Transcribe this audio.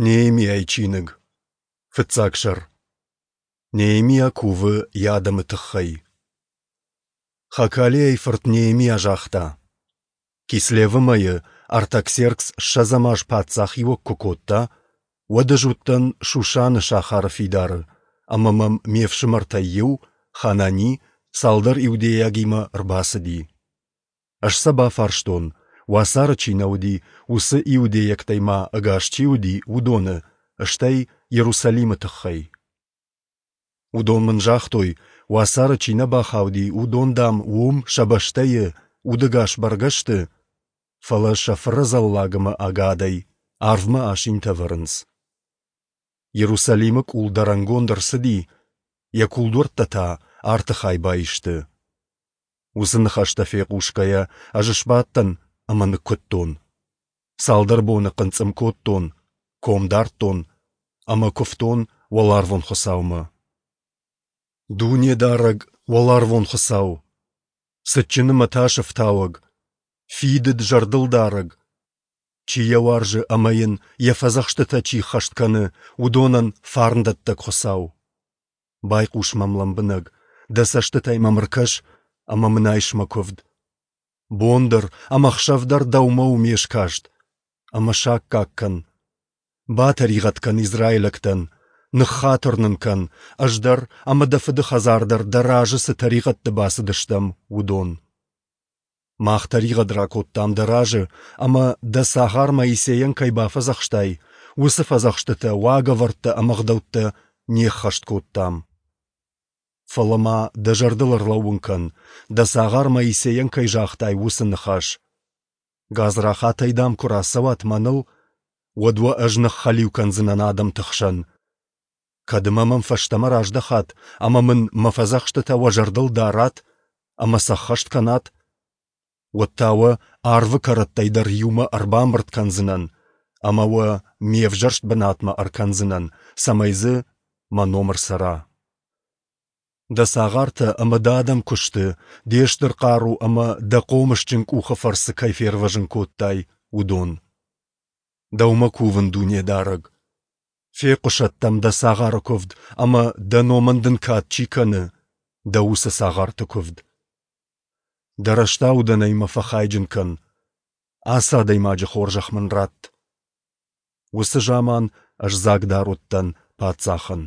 Неемиайы чиныг, фыццаг сӕр. Неемиа кувы йӕ адӕмы тыххӕй. Хакалиайы фырт Неемиа загъта: Кислевы мӕйы Артаксеркс ссӕдзӕм аз паддзахиуӕг куы кодта, уӕд ӕз уыдтӕн Шушаны сахары фидары, ӕмӕ мӕм ме фсымӕртӕй иу, Ханани, цалдӕр иудейагимӕ ӕрбацыди. Ӕз сӕ бафарстон, уацары чи нӕ уыди, уыцы иудейӕгтӕй ма ӕгас чи уыди, уыдоны, стӕй Иерусалимы тыххӕй. Уыдон мын загътой, уацары чи нӕ бахауди, уыдон, дам, уым, сӕ бӕстӕйы, удӕгас бӕргӕ сты, фӕлӕ сӕ фырӕдзӕллаг ӕмӕ ӕгадӕй арвмӕ асинтӕ вӕрынц. Иерусалимы къул дӕрӕнгонд ӕрцыди, йӕ кулдуӕрттӕ та арты хай баисты. Уыцы ныхӕстӕ фехъусгӕйӕ, ӕз сбадтӕн ӕмӕ ныккуыдтон. Цалдӕр боны хъынцъым кодтон, ком дардтон ӕмӕ куывтон уӕларвон Хуыцаумӕ. Дунедарӕг, уӕларвон Хуыцау! Цытджын ӕмӕ тасы фтауӕг, фидыд зӕрдылдарӕг, чи йӕ уарзы ӕмӕ йын йӕ фӕдзӕхстытӕ чи ххӕст кӕны, уыдонӕн фарндӕттӕг Хуыцау! Байхъус мӕм лӕмбынӕг, дӕ цӕстытӕй мӕм ӕркӕс ӕмӕ мын айс мӕ куывд. Бон дӕр ӕмӕ хсӕв дӕр дӕумӕ у ме скаст, ӕмӕ саккаг кӕн. Батӕригъӕд кӕн израилӕгтӕн, ныххатыр нын кӕн, ӕз дӕр ӕмӕ дӕ фыды хӕдзар дӕр дӕ разы цы тӕригъӕдты бацыдыстӕм, уыдон. Мах тӕригъӕд ракодтам дӕ разы ӕмӕ дӕ цагъар Моисейӕн кӕй бафӕдзӕхстай, уыцы фӕдзӕхстытӕ, уагӕвӕрдтӕ ӕмӕ ӕгъдӕуттӕ не ххӕст кодтам. Фӕлӕ ма дӕ зӕрдыл ӕрлӕууын кӕн, дӕ цагъар Моисейӕн кӕй загътай, уыцы ныхас. Гадзрахатӕй, дам, куы рацӕуат мӕныл, уӕд уӕ ӕз ныххӕлиу кӕндзынӕн адӕмты хсӕн. Кӕд ӕмӕ мӕм фӕстӕмӕ раздӕхат ӕмӕ мын мӕ фӕдзӕхстытӕ уӕ зӕрдыл дарат ӕмӕ сӕ ӕххӕст кӕнат, уӕд та уӕ арвы кӕрӕттӕй дӕр иумӕ ӕрбамбырд кӕндзынӕн ӕмӕ уӕ ме взӕрст бынатмӕ ӕркӕндзынӕн, цӕмӕй дзы мӕ ном ӕрцӕра. Дӕ цагъартӕ ӕмӕ дӕ адӕм куы сты, де стыр хъару ӕмӕ дӕ хъомысджын къухы фӕрцы кӕй фервӕзын кодтай, уыдон. Дӕумӕ кувын, Дунедарӕг. Фехъуысӕд дӕм дӕ цагъары куывд ӕмӕ, дӕ номӕн дын кад чи кӕны, дӕ уыцы цагъарты куывд. Дӕ рӕстаудӕнӕй мӕ фӕхайджын кӕн, ацы адӕймаджы хорзӕх мын ратт. Уыцы заман ӕз дзагдар уыдтӕн паддзахӕн.